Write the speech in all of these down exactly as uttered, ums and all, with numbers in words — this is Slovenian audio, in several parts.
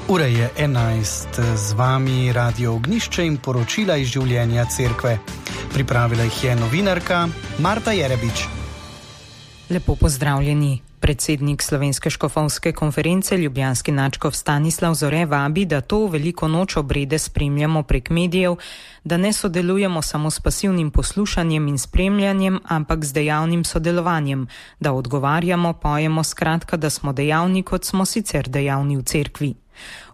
Ura je enajst, z vami Radio Ognjišče in poročila iz življenja cerkve. Pripravila jih je novinarka Marta Jerebič. Lepo pozdravljeni. Predsednik Slovenske škofovske konference, ljubljanski nadškof Stanislav Zore, vabi, da to veliko noč obrede spremljamo prek medijev, da ne sodelujemo samo s pasivnim poslušanjem in spremljanjem, ampak z dejavnim sodelovanjem, da odgovarjamo, pojemo, skratka, da smo dejavni, kot smo sicer dejavni v cerkvi.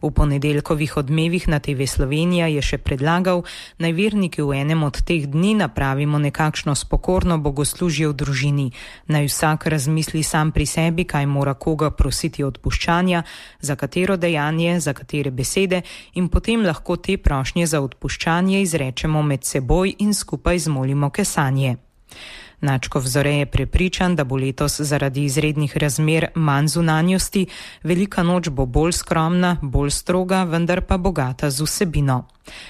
V ponedeljkovih odmevih na te ve Slovenija je še predlagal, naj verniki v enem od teh dni napravimo nekakšno spokorno bogoslužje v družini, naj vsak razmisli sam pri sebi, kaj mora koga prositi odpuščanja, za katero dejanje, za katere besede, in potem lahko te prošnje za odpuščanje izrečemo med seboj in skupaj zmolimo kesanje. Nadškof Zore je prepričan, da bo letos zaradi izrednih razmer manj zunanjosti, velika noč bo bolj skromna, bolj stroga, vendar pa bogata z vsebino.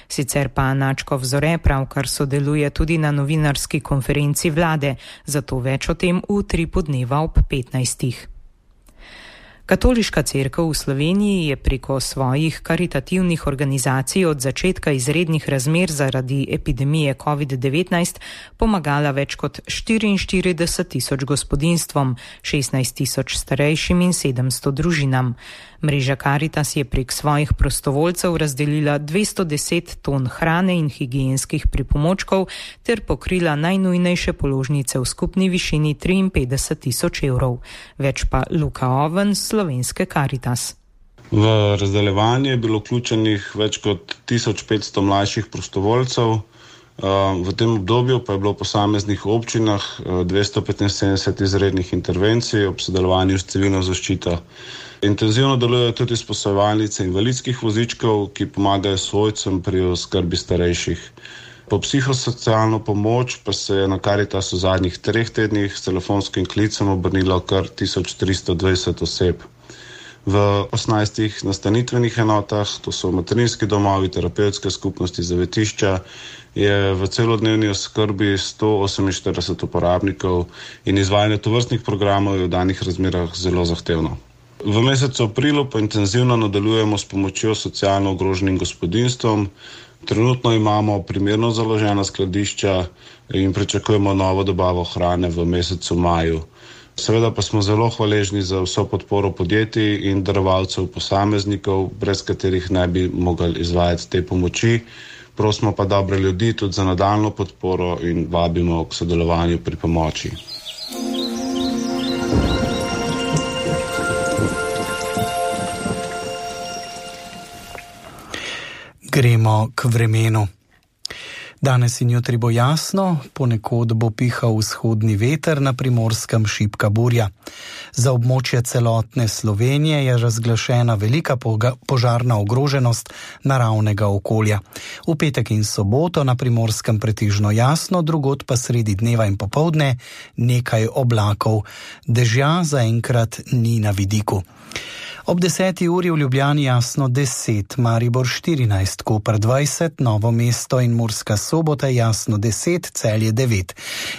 Sicer pa nadškof Zore pravkar sodeluje tudi na novinarski konferenci vlade, zato več o tem v utripu dneva ob petnajstih. Katoliška cerkev v Sloveniji je preko svojih karitativnih organizacij od začetka izrednih razmer zaradi epidemije covid devetnajst pomagala več kot štiriinštirideset tisoč gospodinjstvom, šestnajst tisoč starejšim in sedemsto družinam. Mreža Karitas je prek svojih prostovoljcev razdelila dvesto deset ton hrane in higienskih pripomočkov ter pokrila najnujnejše položnice v skupni višini triinpetdeset tisoč evrov. Več pa Luka Oven, Slovenske Karitas. V razdeljevanje je bilo vključenih več kot tisoč petsto mlajših prostovoljcev. V tem obdobju pa je bilo v posameznih občinah dvesto petinsedemdeset izrednih intervencij ob sodelovanju s civilno zaščito. Intenzivno delujejo tudi sposojevalnice invalidskih vozičkov, ki pomagajo svojcem pri oskrbi starejših. Po psihosocialno pomoč pa se je na Karitas v zadnjih treh tednih s telefonskim klicem obrnilo kar tisoč tristo dvajset oseb. V osemnajstih nastanitvenih enotah, to so materinski domovi, terapevtske skupnosti, zavetišča, je v celodnevni oskrbi sto oseminštirideset uporabnikov in izvajanje tovrstnih programov je v danih razmerah zelo zahtevno. V mesecu aprilu pa intenzivno nadaljujemo s pomočjo socialno ogroženim gospodinjstvom. Trenutno imamo primerno založena skladišča in pričakujemo novo dobavo hrane v mesecu maju. Seveda pa smo zelo hvaležni za vso podporo podjetij in darovalcev posameznikov, brez katerih ne bi mogli izvajati te pomoči. Prosimo pa dobre ljudi tudi za nadaljnjo podporo in vabimo k sodelovanju pri pomoči. Gremo k vremenu. Danes in jutri bo jasno, ponekod bo pihal vzhodni veter, na Primorskem šibka burja. Za območje celotne Slovenije je razglašena velika požarna ogroženost naravnega okolja. V petek in soboto na Primorskem pretežno jasno, drugod pa sredi dneva in popoldne nekaj oblakov. Dežja zaenkrat ni na vidiku. Ob deseti uri v Ljubljani jasno deset, Maribor štirinajst, Koper dvajset, Novo mesto in Murska Sobota jasno deset, Celje devet,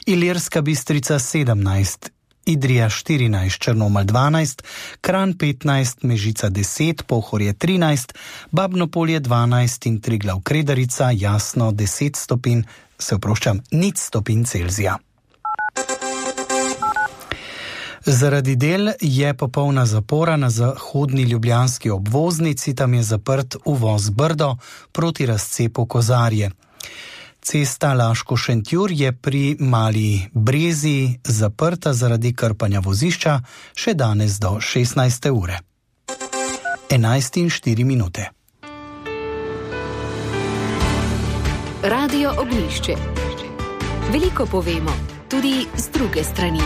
Ilirska Bistrica sedemnajst, Idrija štirinajst, Črnomelj dvanajst, Kranj petnajst, Mežica deset, Pohorje trinajst, Babno Polje dvanajst in Triglav Kredarica jasno deset stopinj, se oproščam, nič stopinj Celzija. Zaradi del je popolna zapora na zahodni ljubljanski obvoznici, tam je zaprt uvoz Brdo proti razcepu Kozarje. Cesta Laško-Šentjur je pri Mali Brezi zaprta zaradi krpanja vozišča še danes do šestnajste ure. enajst in štiri minute. Radio Ognjišče. Veliko povemo, tudi z druge strani.